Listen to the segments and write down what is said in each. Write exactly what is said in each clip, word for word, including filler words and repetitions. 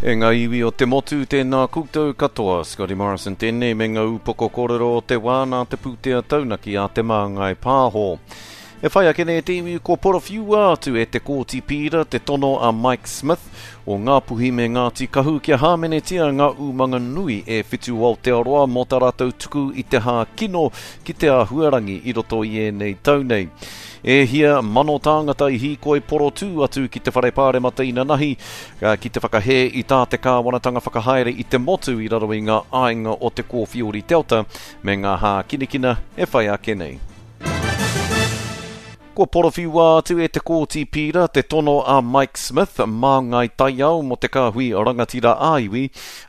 E ngā iwi o te motu, tēnā koutou katoa. Scotty Morrison tēnei me ngā upoko kōrero o te wā nā te pūtea taunaki a Te Māngai Pāho. E whai ake nei te iwi kua porowhiua atu e te Kōti Pīra te tono a Mike Smith o Ngāpuhi me Ngāti Kahu kia hāmenetia ngā umanga nui e whitu o Aotearoa mō tā rātou tuku i te hā kino ki te āhuarangi i roto i ēnei tau nei. E hia mano tāngata i hīkoi porotū atu ki te whare pāremata inanahi ki te whakahē i tā te kāwanatanga whakahaere i te motu i raro i ngā āinga o te Kōwhiori Delta me ngā hākinakina e whai ake nei. Kua porowhiua atu e te Kōti Pīra te tono a Mike Smith māngai taiao mō te kāhui rangatira ā-iwi,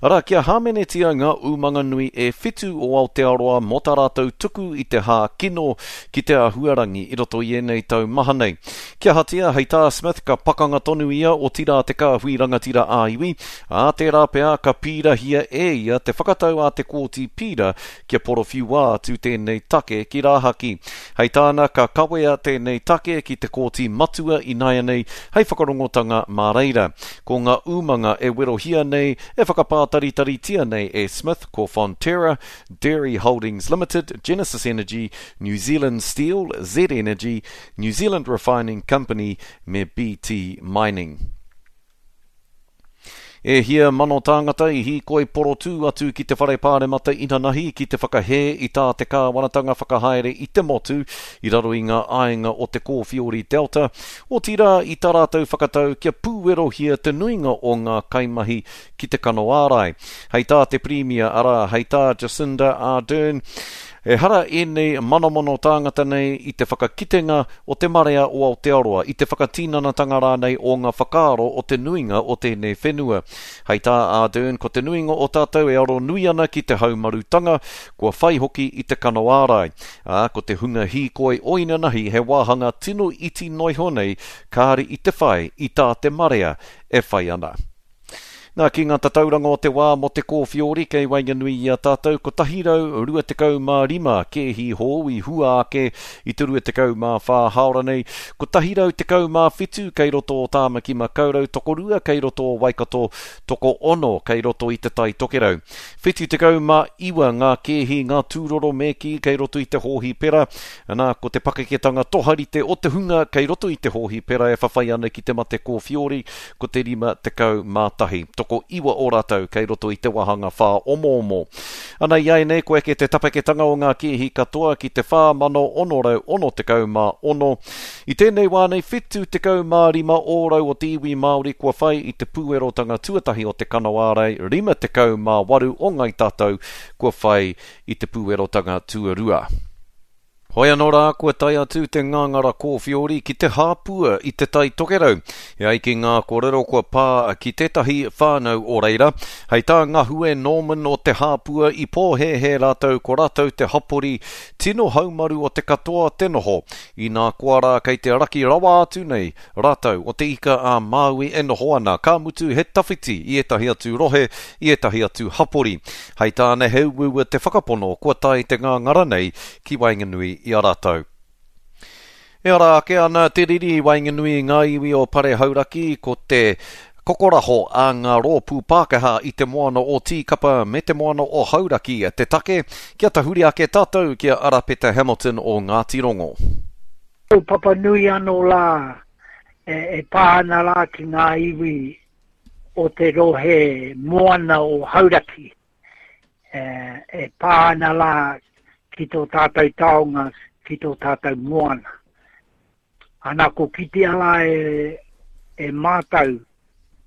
arā kia hāmenetia ngā umanga nui e whitu o Aotearoa mō tā rātou tuku i te hā kino ki te āhuarangi i roto i ēnei tau maha nei. Kia ahatia, hei tā Smith ka pakanga tonu ia otirā te kāhui rangatira ā-iwi, ā tērā pea ka pīrahia e ia te whakatau a te Kōti Pīra kia porowhiua atu tēnei take ki rāhaki. Hei tāna ka kawea tēnei take ki te Kōti Matua ināianei hei whakarongotanga mā reira. Ko ngā umanga e werohia nei, e whakapātaritaritia nei e Smith ko Fonterra, Dairy Holdings Limited, Genesis Energy, New Zealand Steel, Z Energy, New Zealand Refining Company me B T Mining. E hia mano tāngata i hīkoi porotū atu ki te whare pāremata inanahi ki te whakahē i tā te kāwanatanga whakahaere i te motu i raro i ngā āinga o te Kōwhiori Delta, otirā i tā rātou whakatau kia pūwerohia te nuinga o ngā kaimahi ki te kano ārai. Hei tā te Pirimia, arā, hei tā Jacinda Ardern, ehara ēnei manomano tāngata nei i te whakakitenga o te marea o Aotearoa, i te whakatinanatanga rānei o ngā whakaaro o te nuinga o tēnei whenua. Hei tā Ardern, ko te nuinga o tātou e aro nui ana ki te haumarutanga, kua whai hoki i te kano ārai. Ā, ko te hunga hīkoi o inanahi he wāhanga tino iti noiho nei, kāre i te whai i tā te marea e whai ana. Nā, ki ngā tatauranga o te wā mō te Kōwhiori kei waenganui i a tātou kotahi rau rua tekau mā rima kēhi hou i hua ake i te rua tekau mā whā hāora nei, kotahi rau tekau mā whitu kei roto o Tāmaki Makaurau, tokorua kei roto o Waikato, toko ono kei roto i te Tai Tokerau. Whitu tekau mā iwa ngā kēhi, ngā tūroro me kī kei roto i te hōhipera. Nā, ko te pakeketanga toharite o te hunga kei roto i te hōhipera e whawhai ana ki te mate Kōwhiori, ko te rima tekau mā tahi. Toko iwa o rātou kei roto i te wāhanga whā omoomo. Ana i ai nei, ko eke te tapeketanga o ngā kēhi katoa ki te whā mano ono rau ono tekau mā ono. I tēnei wā nei, whitu tekau mā rima ōrau o te iwi Māori kua whai i te pūerotanga tuatahi o te kano ārai, rima tekau mā waru o ngai tātou kua whai i te pūerotanga tuarua. Hoi anō rā, kua tae atu te ngāngara Kōwhiori ki te hāpua i te Tai Tokerau. E ai ki ngā kōrero kua pā ki tētahi whānau o reira. Hei tā Ngahue Norman o te hāpua i pōhēhē rātou ko rātou te hapori tino haumaru o te katoa te noho. Inā koa rā kei te raki rawa atu nei rātou o te ika a Māui e noho ana, ka mutu he tawhiti i ētahi atu rohe, i ētahi atu hapori. Hei tāna he uaua te whakapono kua tae te ngāngara nei ki waenganui i a rātou. E ara ake ana te riri i waenganui i ngā iwi o Pare Hauraki, ko te kokoraho a ngā rōpū Pākehā i te moana o Tīkapa me te moana o Hauraki te take, kia tahuri ake tātou ki a Arapeta Hamilton o Ngāti Rongo. Kaupapa nui anō rā e, e pā ana rā ki ngā iwi o te rohe moana o Hauraki. E, e pā ana rā ki tō tātou taonga, ki tō tātou moana. Ana ko kitea rā e, e mātou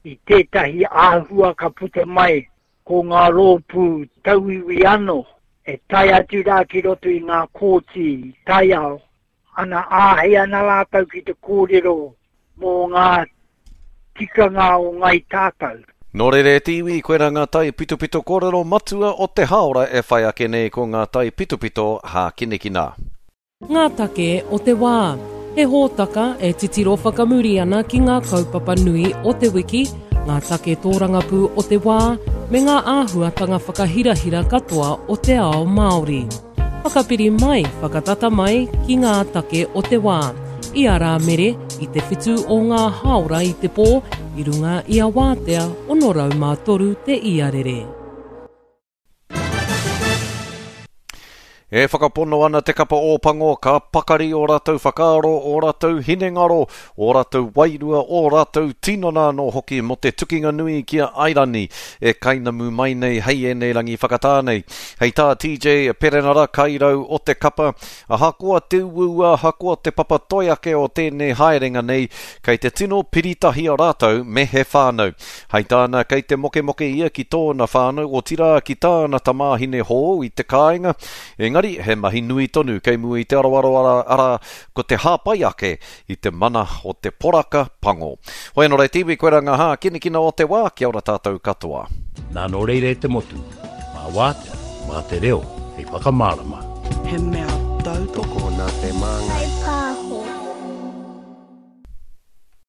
i tētahi āhua ka puta mai ko ngā rōpū tauiwi anō e tae atu rā ki roto i ngā kōti taiao. Ana āhei ana rātou ki te kōrero mō ngā tikanga o ngai tātou. Nō reira e te iwi, koirā ngā tai pitopito kōrero matua o te hāora e whai ake nei ko ngā tai pitopito hākinakina. Ngā take o te wā. He hōtaka e titiro whakamuri ana ki ngā kaupapa nui o te wiki, ngā take tōrangapū o te wā, me ngā āhuatanga whakahirahira katoa o te ao Māori. Whakapiri mai, whakatata mai ki ngā take o te wā. I a Rāmere, i te whitu o ngā hāora i te pō, i runga i a Wātea ono rau mā toru te iarere. E whakapono ana te kapa Ōpango ka pakari o rātou whakaaro, o rātou hinengaro, o rātou wairua, o rātou tinana anō hoki mō te tukinga nui ki a Airani e kainamu mai nei hei ēnei rangi whakatā nei. Hei tā T J Perenara kairau o te kapa, ahakoa te uaua, ahakoa te papa toi ake o tēnei haerenga nei, kei te tino piritahi a rātou me he whānau. Hei tāna kei te mokemoke ia ki tōna whānau, otirā ki tāna tamāhine hou i te kāinga, engari he mahi nui tonu kei mua i te aroaro ara, ara ko te hāpai ake i te mana o te poraka pango. Hoi anō rei te iwi, koe rā ngā hākinakina o te wā, kia ora tātou katoa. Nā nō reira e te motu, mā wātea, mā te reo, hei whakamārama. He mea tautoko nā te māngai.